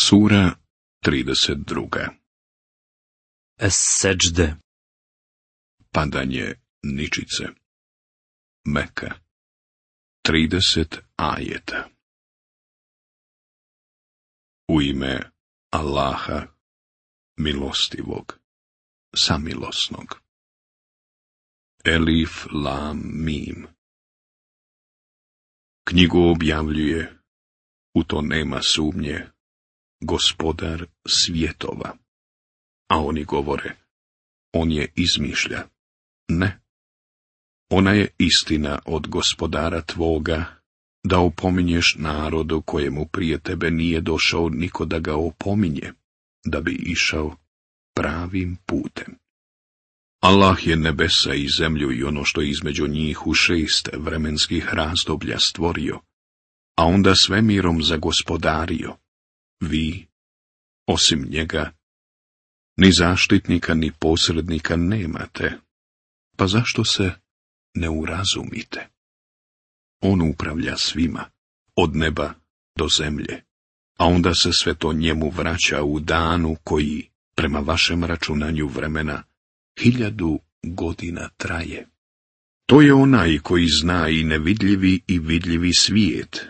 Sura 32. Es-seđde. Padanje ničice. Meka. 30 ajeta. U ime Allaha, milostivog, samilosnog. Elif, lam, mim. Knjigu objavljuje, u to nema sumnje, Gospodar svjetova. A oni govore, on je izmišlja. Ne. Ona je istina od Gospodara tvoga, da opominješ narodu kojemu prije tebe nije došao niko da ga opominje, da bi išao pravim putem. Allah je nebesa i zemlju i ono što je između njih u 6 vremenskih razdoblja stvorio, a onda svemirom zagospodario. Vi, osim njega, ni zaštitnika ni posrednika nemate, pa zašto se ne urazumite? On upravlja svima, od neba do zemlje, a onda se sve to njemu vraća u danu koji, prema vašem računanju vremena, 1000 godina traje. To je onaj koji zna i nevidljivi i vidljivi svijet,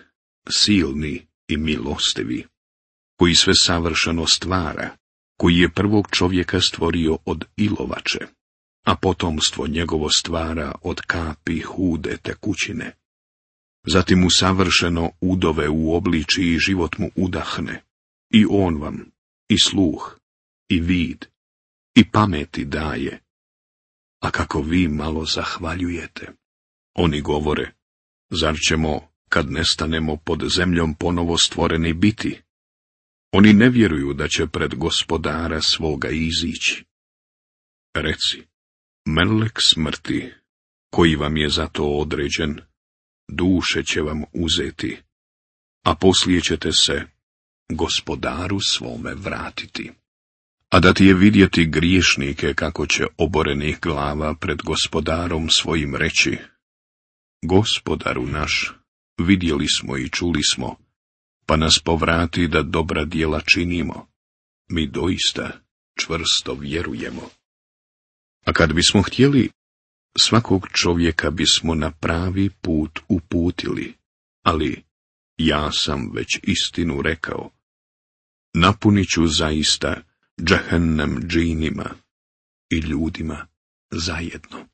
silni i milostivi, koji sve savršeno stvara, koji je prvog čovjeka stvorio od ilovače, a potomstvo njegovo stvara od kapi hude tekućine. Zatim mu savršeno udove u obliči i život mu udahne, i on vam i sluh, i vid, i pameti daje. A kako vi malo zahvaljujete. Oni govore, zar ćemo, kad nestanemo pod zemljom ponovo stvoreni biti? Oni ne vjeruju da će pred Gospodara svoga izići. Reci, melek smrti, koji vam je za to određen, duše će vam uzeti, a poslije ćete se Gospodaru svome vratiti. A da ti je vidjeti griješnike kako će oborenih glava pred Gospodarom svojim reći, Gospodaru naš, vidjeli smo i čuli smo, pa nas povrati da dobra djela činimo. Mi doista čvrsto vjerujemo. A kad bismo htjeli, svakog čovjeka bismo na pravi put uputili, ali ja sam već istinu rekao. Napunit ću zaista džehennem džinima i ljudima zajedno.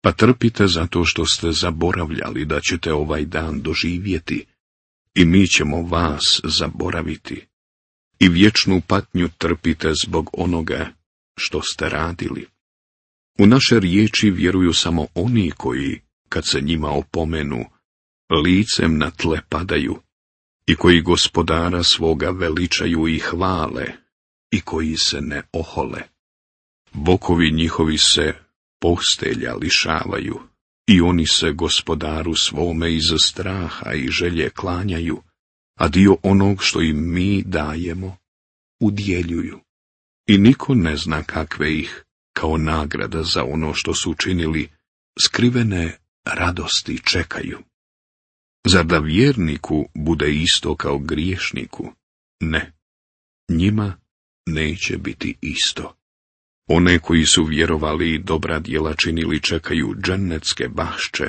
Pa trpite zato što ste zaboravljali da ćete ovaj dan doživjeti, i mi ćemo vas zaboraviti, i vječnu patnju trpite zbog onoga što ste radili. U naše riječi vjeruju samo oni koji, kad se njima opomenu, licem na tle padaju, i koji Gospodara svoga veličaju i hvale, i koji se ne ohole. Bokovi njihovi se postelja lišavaju, i oni se Gospodaru svome iz straha i želje klanjaju, a dio onog što im mi dajemo, udjeljuju. I niko ne zna kakve ih, kao nagrada za ono što su učinili, skrivene radosti čekaju. Zar da vjerniku bude isto kao griješniku? Ne, njima neće biti isto. One koji su vjerovali i dobra djela činili čekaju džennetske bašče,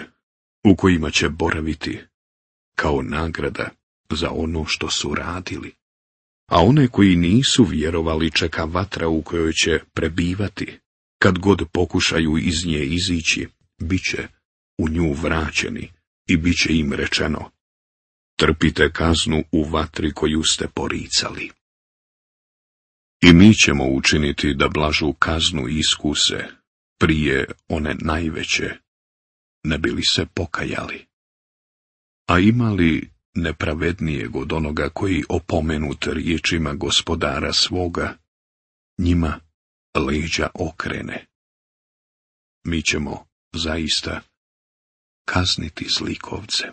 u kojima će boraviti, kao nagrada za ono što su radili. A one koji nisu vjerovali čeka vatra u kojoj će prebivati, kad god pokušaju iz nje izići, bit će u nju vraćeni i bit će im rečeno, trpite kaznu u vatri koju ste poricali. I mi ćemo učiniti da blažu kaznu iskuse prije one najveće, ne bi li se pokajali. A ima li nepravednijeg od onoga koji opomenut riječima Gospodara svoga, njima leđa okrene? Mi ćemo zaista kazniti zlikovce.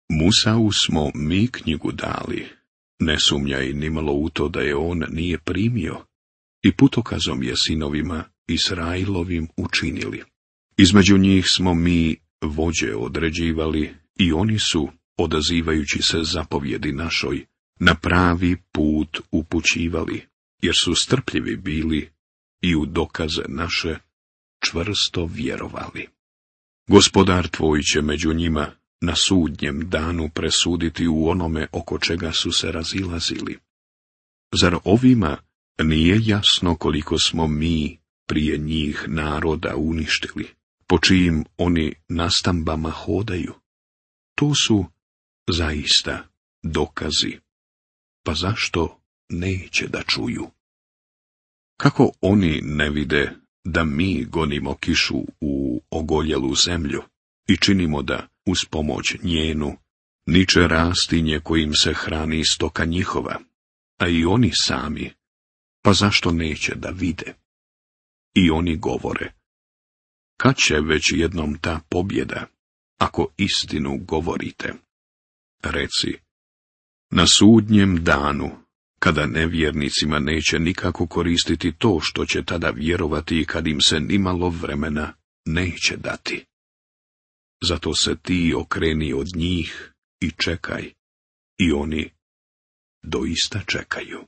Musau smo mi knjigu dali, ne sumnjaj nimalo u to da je on nije primio, i putokazom je sinovima Israilovim učinili. Između njih smo mi vođe određivali, i oni su, odazivajući se zapovjedi našoj, na pravi put upućivali, jer su strpljivi bili i u dokaze naše čvrsto vjerovali. Gospodar tvoj će među njima na sudnjem danu presuditi u onome oko čega su se razilazili. Zar ovima nije jasno koliko smo mi prije njih naroda uništili, po čijim oni nastambama hodaju? To su zaista dokazi, pa zašto neće da čuju? Kako oni ne vide da mi gonimo kišu u ogoljelu zemlju i činimo da, uz pomoć njenu, niče rastinje kojim se hrani stoka njihova, a i oni sami, pa zašto neće da vide? I oni govore, kad će već jednom ta pobjeda, ako istinu govorite? Reci, na sudnjem danu, kada nevjernicima neće nikako koristiti to što će tada vjerovati i kad im se nimalo vremena neće dati. Zato se ti okreni od njih i čekaj, i oni doista čekaju.